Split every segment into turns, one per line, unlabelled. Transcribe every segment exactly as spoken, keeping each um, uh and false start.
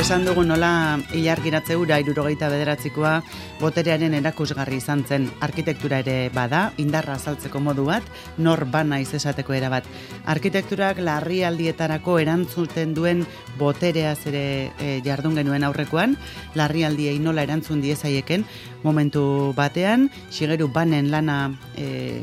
Esan dugu nola ilargiratze ura hirurogeita bederatzikoa boterearen erakusgarri izan zen. Arkitektura ere bada, indarra azaltzeko modu bat, nor bana izesateko era bat. Arkitekturak larrialdietarako erantzuten duen botereaz ere e, jardun genuen aurrekoan, larrialdiei nola erantzun diezaieken momentu batean, Shigeru Banen lana e,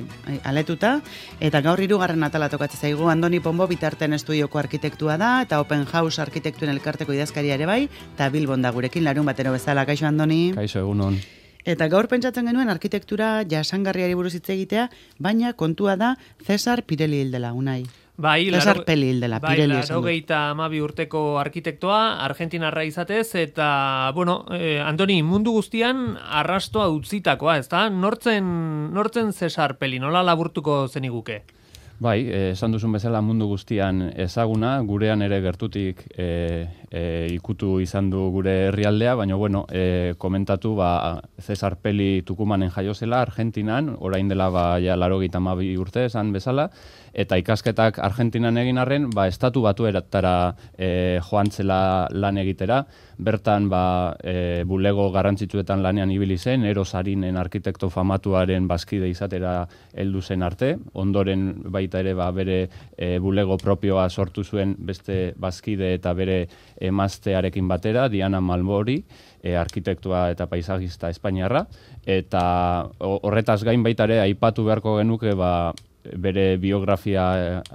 aletuta, eta gaur hirugarren atala tokatzen zaigu. Andoni Pombo bitarten estudioko arkitektua da, eta Open House arkitektuen elkarteko idazkaria ere bai, eta Bilbon da gurekin larun batero bezala. Kaixo, Andoni?
Kaixo, egunon.
Eta gaur pentsatzen genuen arkitektura jasangarriari buruz hitz egitea, baina kontua da Cesar Pirelli hildela, Unai.
Bai,
Cesar Pelli hildela,
bai,
Pirelli esan du.
laurogeita hamabi urteko arkitektoa, argentinarra izatez, eta, bueno, eh, Andoni, mundu guztian arrastoa utzitakoa, ez da? Nortzen, nortzen Cesar Pelli, nola laburtuko zeniguke?
Bai, esan duzun bezala mundu guztian ezaguna, gurean ere gertutik e, e, ikutu izan du gure herrialdea, baina bueno, e, komentatu ba, Cesar Pelli Tucumanen jaio zela, Argentinan, orain dela ba, ja, laurogeita hamabi urte esan bezala, eta ikasketak Argentinan egin arren, ba, estatu batuetara e, joan zela lan egitera, bertan ba, e, bulego garrantzitsuetan lanean ibili zen, Eros Arinen arkitekto famatuaren bazkide izatera heldu zen arte, ondoren baita ere ba, bere e, bulego propioa sortu zuen beste bazkide eta bere emaztearekin batera, Diana Malmori, e, arkitektua eta paisagista espainiarra, eta horretaz gain baita ere aipatu beharko genuke ba, bere biografia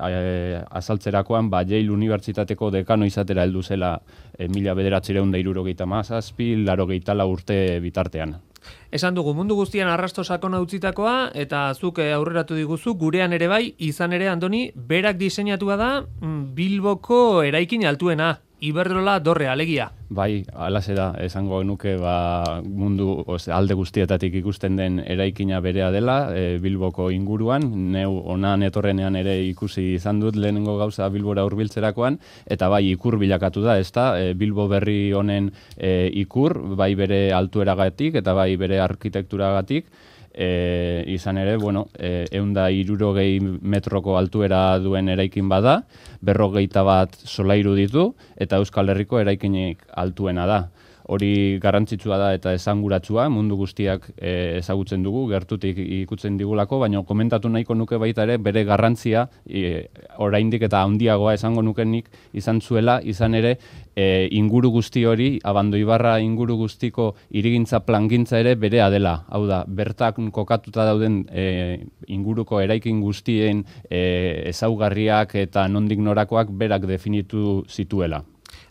e, azaltzerakoan, ba, Yale Unibertsitateko dekano izatera heldu zela e, mila bederatziehun eta hirurogeita hamazazpi, laurogeita lau urte bitartean.
Esan dugu, mundu guztian arrasto sakona utzitakoa, eta zuk aurreratu diguzu, gurean ere bai, izan ere, Andoni, berak diseinatua da Bilboko eraikin altuena, Iberdrola dorre, alegia.
Bai, alaxe da, esango genuke ba, mundu oz, alde guztietatik ikusten den eraikina berea dela, e, Bilboko inguruan, neu onan etorrenean ere ikusi izan dut lehenengo gauza Bilbora hurbiltzerakoan, eta bai ikur bilakatu da, ezta, e, Bilbo berri honen e, ikur, bai bere altueragatik eta bai bere arkitekturagatik, E, izan ere, bueno, e, eunda hirurogei metroko altuera duen eraikin bada, berrogeita bat solairu ditu, eta Euskal Herriko eraikinik altuena da. Hori garrantzitsua da eta esanguratsua, mundu guztiak e, ezagutzen dugu, gertutik ikutzen digulako, baina komentatu nahiko nuke baita ere bere garrantzia, e, oraindik eta handiagoa esango nukenik izan zuela, izan ere e, inguru guzti hori, Abandoibarra inguru guztiko hirigintza plangintza ere berea dela. Hau da, bertak kokatuta dauden e, inguruko eraikin guztien e, ezaugarriak eta nondik norakoak berak definitu zituela.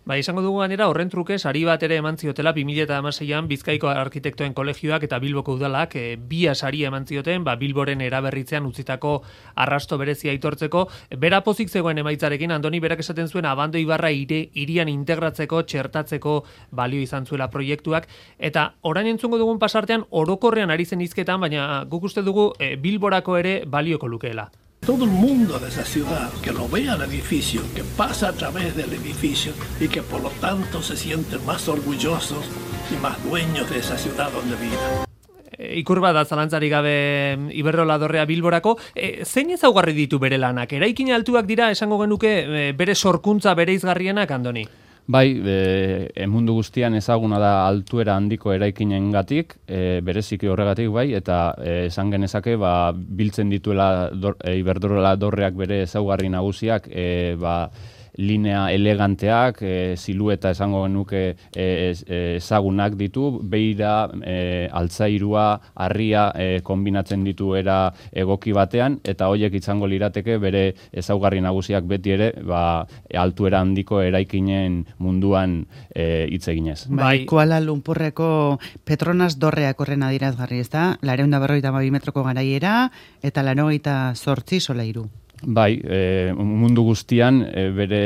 Ba, izango dugu ganera, horren truke, sari bat ere eman ziotela, bi mila hamaseian Bizkaiko arkitektoen kolegioak eta Bilboko udalak e, bia sari eman zioten, ba, Bilboren eraberritzean utzitako arrasto berezia aitortzeko. Bera pozik zegoen emaitzarekin, Andoni berak esaten zuen Abandoibarra ire, irian integratzeko, txertatzeko balio izan zuela proiektuak, eta orain entzungo dugun pasartean orokorrean ari zen hizketan, baina guk uste dugu e, Bilborako ere balioko lukeela.
Todo el mundo de esa ciudad que lo vea el edificio, que pasa a través del edificio y que por lo tanto se sienten más orgullosos y más dueños de esa ciudad donde viven.
Ikur bat da zalantzari gabe Iberdrola dorrea Bilborako. E, zein ezaugarri ditu bere lanak? Eraikin altuak dira esango genuke e, bere sorkuntza bereizgarrienak, Andoni?
Bai, e, mundu guztian ezaguna da altuera handiko eraikinengatik, e, bereziki horregatik bai, eta e, esan genezake ba, biltzen dituela dor, e, Iberdrola dorreak bere ezaugarri nagusiak, e, ba, linea eleganteak, e, silueta esango genuke e, ezagunak ditu, beira, e, altzairua, harria e, kombinatzen ditu era egoki batean, eta horiek izango lirateke bere ezaugarri nagusiak beti ere ba, altuera handiko eraikinen munduan e, hitz eginez.
Bai, Kuala Lumpurreko Petronas dorreak horren adierazgarri, ez da? Lareunda berrogeita hamabi metroko garaiera eta laurogeita zortzi solairu.
Bai, e, mundu guztian e, bere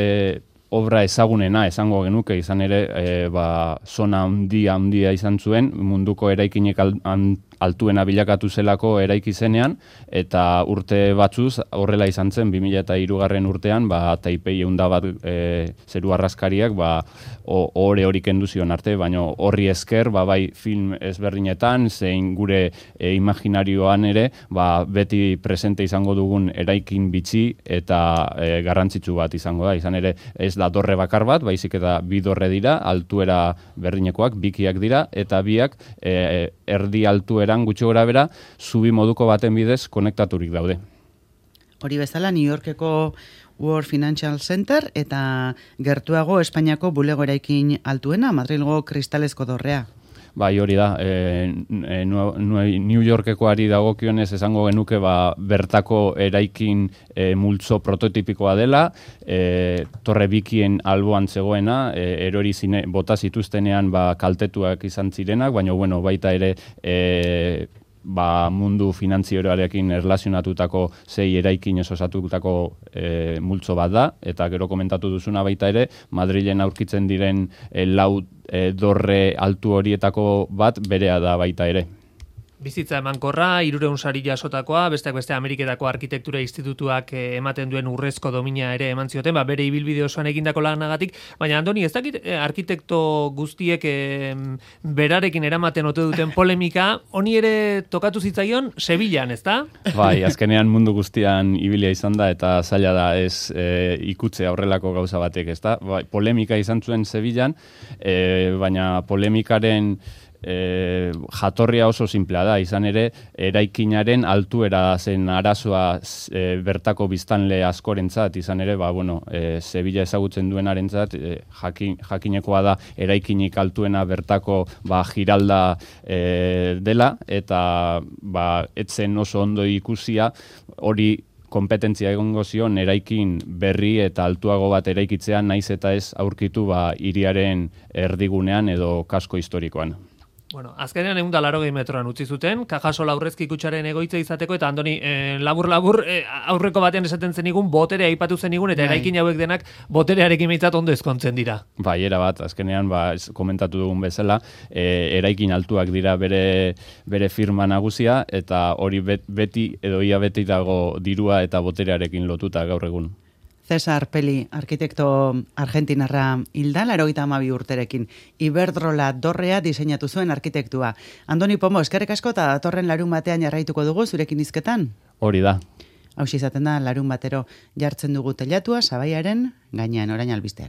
obra ezagunena esango genuke, izan ere e, ba, zona handia handia izan zuen, munduko eraikinek altuena bilakatu zelako eraiki zenean, eta urte batzuz horrela izan zen, bi mila hirugarren urtean, ba, Taipei eunda bat e, zeru arraskariak, ba, ohore hori kendu zion arte, baina horri esker, ba, bai film ezberdinetan, zein gure e, imaginarioan ere, ba, beti presente izango dugun eraikin bitxi eta e, garrantzitsu bat izango da. Izan ere, ez da dorre bakar bat, baizik eta bi dorre dira, altuera berdinekoak, bikiak dira, eta biak e, erdi altueran gutxi gora bera, zubi moduko baten bidez konektaturik daude.
Hori bezala, New Yorkeko World Financial Center eta gertuago Espainiako bulego eraikin altuena, Madrilgo kristalezko dorrea.
Bai, hori da, e, e, New Yorkekoari dagokionez esango genuke ba, bertako eraikin e, multzo prototipikoa dela, e, torre bikien alboan zegoena, e, erori zine, bota zituztenean ba, kaltetuak izan zirenak, baina bueno, baita ere e, ba, mundu finantzieroarekin erlazionatutako zei eraikin osatutako e, multzo bat da, eta gero komentatu duzuna baita ere, Madrilen aurkitzen diren e, lau e, dorre altu horietako bat berea da baita ere.
Bizitza emankorra, hirurehun sari jasotakoa, besteak beste Ameriketako Arkitektura Institutuak ematen duen urrezko domina ere eman zioten, ba, bere ibilbide osoan egindako lanagatik, baina Andoni, ez dakit eh, arkitekto guztiek eh, berarekin eramaten ote duten polemika, honi ere tokatu zitzaion Sevillan, ezta?
Bai, azkenean mundu guztian ibilia izan da, eta zaila da ez e, ikutze aurrelako gauza batek, ezta? Bai, polemika izan zuen Sevillan, e, baina polemikaren E, jatorria oso simplea da, izan ere, eraikinaren altuera zen arazoa e, bertako biztanle askorentzat, izan ere, ba, bueno, e, Sevilla ezagutzen duenarentzat, e, jakin, jakinekoa da eraikinik altuena bertako ba, giralda e, dela, eta ba, etzen oso ondo ikusia hori kompetentzia egongo zion eraikin berri eta altuago bat eraikitzea, naiz eta ez aurkitu ba, hiriaren erdigunean edo kasko historikoan.
Bueno, azkenean ehun eta laurogei metroan utzi zuten, Cajasola aurrezki kutxaren egoitza izateko, eta Andoni, eh, labur-labur eh, aurreko batean esaten zenigun, botere aipatu zenigun, eta eraikin hauek denak boterearekin behintzat ondo ezkontzen dira.
Bai, era bat, azkenean, ba, komentatu dugun bezala, eh, eraikin altuak dira bere, bere firma nagusia, eta hori bet, beti edo ia beti dago dirua eta boterearekin lotuta gaur egun.
Cesar Peli, arkitekto argentinarra hilda, laurogeita hamabi urterekin. Iberdrola dorrea diseinatu zuen arkitektua. Andoni Pomo, eskerrik asko eta datorren larun batean jarraituko dugu zurekin hizketan?
Hori da.
Hauxe izaten da, larun batero jartzen dugu telatua, Sabaiaren gainean, orain albisteak.